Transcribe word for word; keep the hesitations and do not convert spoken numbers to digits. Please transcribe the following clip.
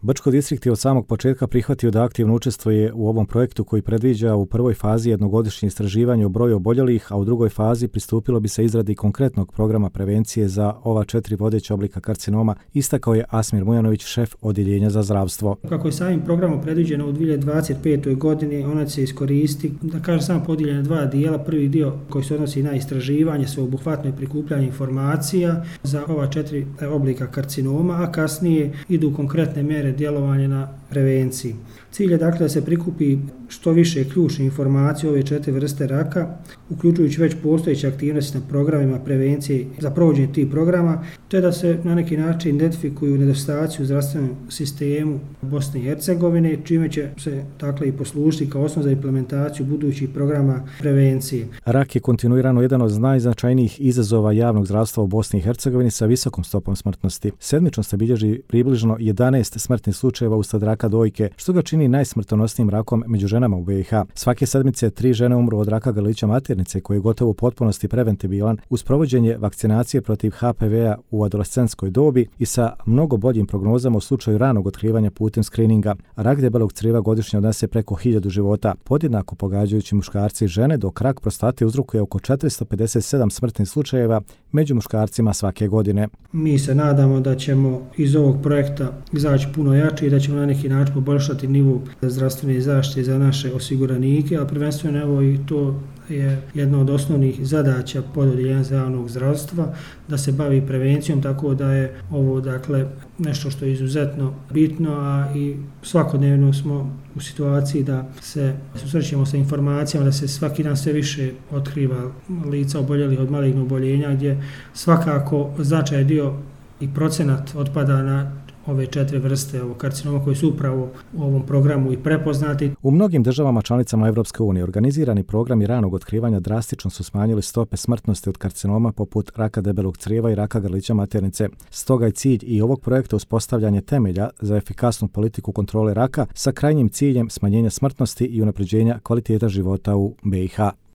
Brčko distrikt je od samog početka prihvatio da aktivno učestvuje u ovom projektu koji predviđa u prvoj fazi jednogodišnje istraživanje o broju oboljelih, a u drugoj fazi pristupilo bi se izradi konkretnog programa prevencije za ova četiri vodeća oblika karcinoma, istakao je Asmir Mujanović, šef odjeljenja za zdravstvo. Kako je samim programom predviđeno u dvije hiljade dvadeset petoj godini, ona će se iskoristiti, da kažem samo podijeljena na dva dijela. Prvi dio koji se odnosi na istraživanje, sveobuhvatno i prikupljanje informacija za ova četiri oblika karcinoma, a kasnije idu konkretne mjere djelovanja na prevenciji. Cilj je dakle da se prikupi što više ključnih informacija o ove četiri vrste raka, uključujući već postojeće aktivnosti na programima prevencije za provođenje tih programa, te da se na neki način identifikuju nedostaci u zdravstvenom sistemu Bosne i Hercegovine, čime će se dakle i poslužiti kao osnov za implementaciju budućih programa prevencije. Rak je kontinuirano jedan od najznačajnijih izazova javnog zdravstva u Bosni i Hercegovini sa visokom stopom smrtnosti. Sedmično se bilježi približno jedanaest smrtnih slučajeva uslijed raka dojke, što ga čini najsmrtonosnijim rakom među ženama u B i H. Svake sedmice tri žene umru od raka grlića maternice, koji je gotovo u potpunosti preventibilan uz provođenje vakcinacije protiv H P V-a u adolescentskoj dobi i sa mnogo boljim prognozama u slučaju ranog otkrivanja putem skrininga. Rak debelog crijeva godišnje odnese preko hiljadu života, podjednako pogađajući muškarci i žene, dok rak prostate uzrokuje oko četiristo pedeset sedam smrtnih slučajeva među muškarcima svake godine. Mi se nadamo da ćemo iz ovog projekta izaći puno jači i da ćemo na neki način poboljšati nivo zdravstvene zaštite za naše osiguranike, a prvenstveno evo i to je jedna od osnovnih zadaća pododjeljenja za javnog zdravstva, da se bavi prevencijom, tako da je ovo dakle nešto što je izuzetno bitno, a i svakodnevno smo u situaciji da se susrećemo sa informacijama, da se svaki dan sve više otkriva lica oboljelih od malignog oboljenja, gdje svakako značajan dio i procenat otpada na ove četiri vrste ovog karcinoma koji su upravo u ovom programu i prepoznati. U mnogim državama članicama Evropske unije organizirani programi ranog otkrivanja drastično su smanjili stope smrtnosti od karcinoma poput raka debelog crijeva i raka grlića maternice. Stoga je cilj i ovog projekta uspostavljanje temelja za efikasnu politiku kontrole raka sa krajnjim ciljem smanjenja smrtnosti i unapređenja kvaliteta života u B i H.